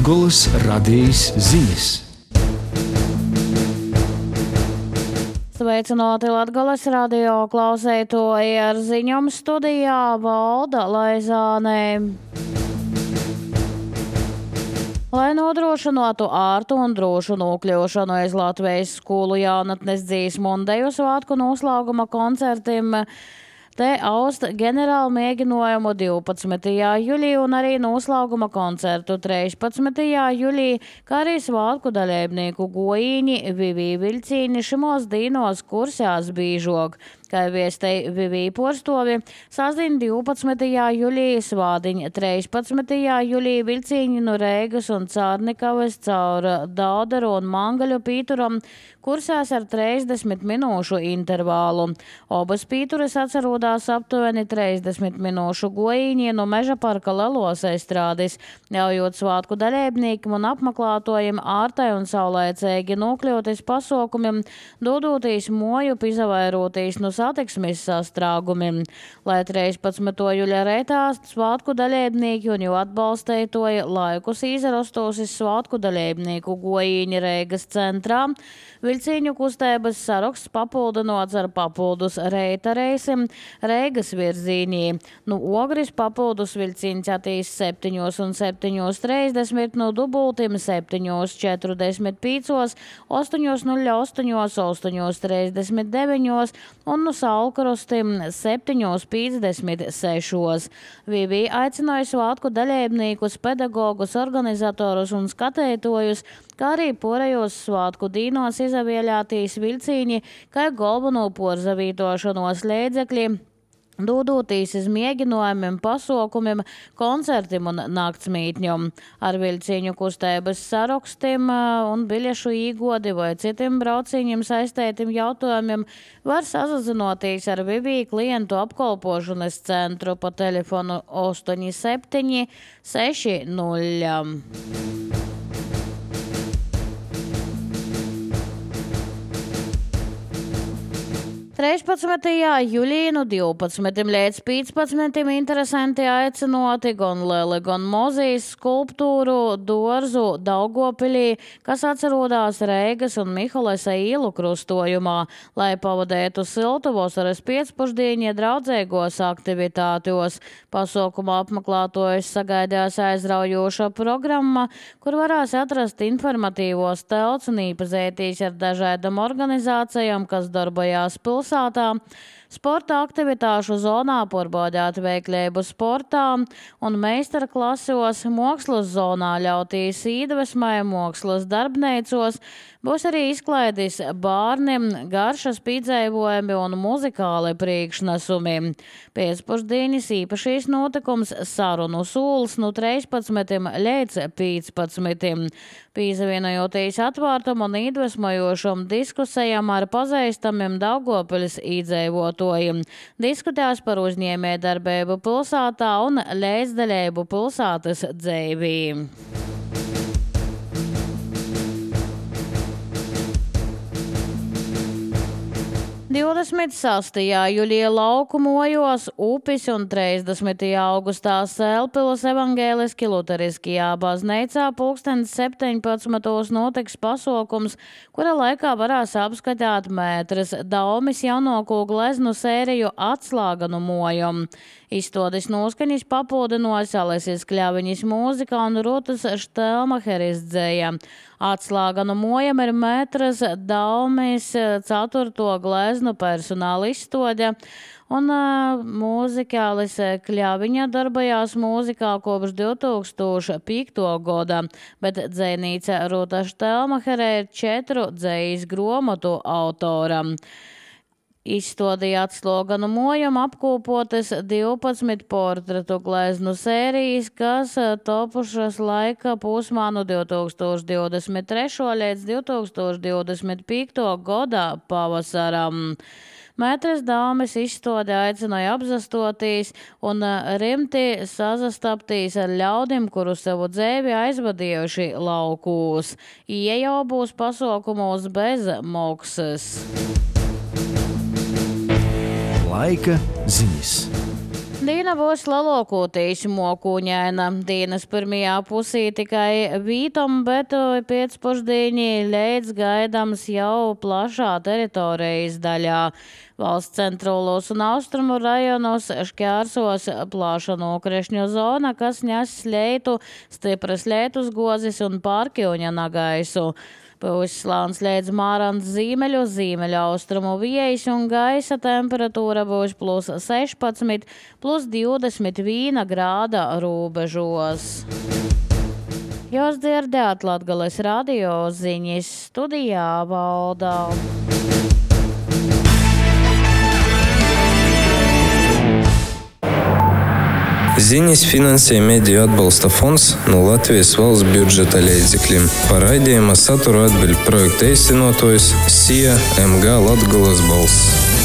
Latgoles radijas ziņas. Sveicināti Latgoles radio klausētoji, ar ziņām studijā Valda Laizāne. Lai nodrošinātu ārtu un drošu nokļūšanu aiz Latvijas skolu jaunatnes dziesmu un deju svētku noslēguma koncertiem, te aust ģenerālu mēģinājumu 12. jūlijā un arī noslēguma koncertu 13. jūlijā, kā arī svētku dalībnieku gojīņi Vivī Viļcīni šimos dīnos kursās bīžok. Kā viestei Vivī porstovi, sasdien 12. jūlijā svādiņ 13. jūlijā Viļcīņi no Reigas un Cārnikavas caur Daudaru un Mangaļu pīturam kursās ar 30 minūšu intervālu. Obas pīturas atcerūdās aptuveni 30 minūšu gojīņi no Meža parka lelos aizstrādis, ļaujot svātku dalībniekiem un apmeklētojiem ārtai un saulēcīgi nokļūties pasaukumiem, dodotīs moju pizavairoties no satiksmes sastrāgumiem. Lai 13. jūļa reitā svātku dalībnieki un jau atbalstētoja laikus izrastūsis svātku dalībnieku gojīņi Reigas centrā, Viļcīņu kustības saraksts papildinots ar papildus reita reisim Reigas virzīnī. Nu Ogris papildus Viļcīņš attīs 7:7:30, no dubultim 7:45, 8:08, 8:39 un no Saulkrostim 7:56. Vivī aicināja svātku dalībniekus, pedagogus, organizatorus un skatētojus, kā arī porejos svātku dīnos izavieļātīs Viļcīņi, kā galveno porzavītošanos līdzekļi, dodotīs iz mēģinājumiem, pasaukumiem, koncertiem un naktsmītņiem. Ar Viļcīņu kustības sarakstiem un biļešu īgodi vai citiem brauciņiem saistētiem jautājumiem var sazinoties ar Vivī klientu apkalpošanas centru pa telefonu 8760. 13. jūlijā no 12. līdz 15. interesanti aicinoti gan lieli, gan mozīs skulptūru dārzu Daugavpilī, kas atcerūdās Reigas un Mihalesa īlu krustojumā, lai pavadētu siltu vasaras pēcpusdienu draudzīgos aktivitātos. Pasaukumā apmeklētojus sagaidās aizraujoša programma, kur varēs atrast informatīvos telts un īpazētīs ar dažādām organizācijām, kas darbojās pilsētā. Sporta aktivitāšu zonā porbaudāt veiklību sportā un meistarklasos, mākslas zonā ļautīs iedvesmai mākslas darbneicos, būs arī izklaidis bārniem, garšas piedzēvojumi un muzikāli priekšnesumi. Pēcpusdienas īpašīs notikums sarunu sūls no 13. līdz 15. Pīzavienojoties atvārtam un iedvesmojošam diskusijām ar pazīstamiem Daugavpiļas iedzīvotājiem. Diskutēs par uzņēmējdarbību pilsētā un līdzdaļību pilsētas dzīvī. 26. jūlijā lauku mojos Upis un 30. augustā Sēlpilas evangēliski luteriskajā baznīcā pulkstens 17. notiks pasaukums, kura laikā varēs apskatīt mētras Daumis jaunāko gleznu sēriju Atslāganu mojam. Izstādes noskaņas papildinās Alesis Kļaviņas mūzika un Rutas Štelmacheris dzēja. Atslāganu mojam ir mētras Daumis 4. gleznu personāla izstāde, un mūzikālis Kļaviņa darbojās mūzikā kopš 2005. gada, bet dzejnīca Ruta Štelmachere ir 4 dzejas grāmatu autora. Izstādīja Atslāganu mojam apkopotas 12 portretu gleznu sērijas, kas topušas laika posmā no 2023. līdz 2025. gada pavasaram. Mētras Daumis izstāde aicināja apzastotīs un rimti sazastaptīs ar ļaudim, kuru savu dzēvi aizvadījuši laukūs. Ieja būs pasaukumos bez maksas. Laika ziņas. Dīna būs lalokūtīs mokuņaina. Dīnas pirmajā pusī tikai vītom, bet pēcpusdīņi leidz gaidams jau plašā teritorijas daļā. Valsts centrālos un austrumu rajonos šķērsos plaša nokrešņu zona, kas nes leitu, stipras lietus gozis un pārkļuņa nagaisu. Pusslāns leidz mārants zīmeļu, zīmeļa austrumu viejas un gaisa temperatūra būs +16, +21 grāda robežos. Jūs dzirdējāt Latgales radio ziņas, studijā Valda. Ziņas finansē Mediju atbalsta fonds no Latvijas valsts budžeta līdzekļiem. Par raidījuma saturu atbild projekta īstenotājs SIA MG Latgales balss.